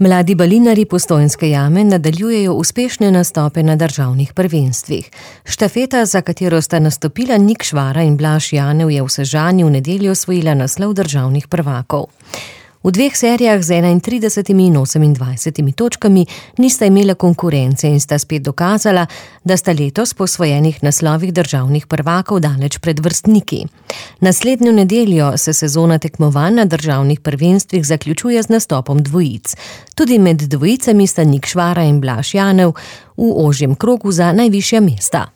Mladi balinarji Postojnske jame nadaljujejo uspešne nastope na državnih prvenstvih. Štafeta, za katero sta nastopila Nik Švara in Blaž Janev, je v Sežani v nedeljo osvojila naslov državnih prvakov. V dveh serijah z 31 in 28 točkami nista imela konkurence in sta spet dokazala, da sta letos po osvojenih naslovih državnih prvakov daleč pred vrstniki. Naslednjo nedeljo se sezona tekmovanj na državnih prvenstvih zaključuje z nastopom dvojic. Tudi med dvojicami sta Nik Švara in Blaž Janev v ožjem krogu za najvišja mesta.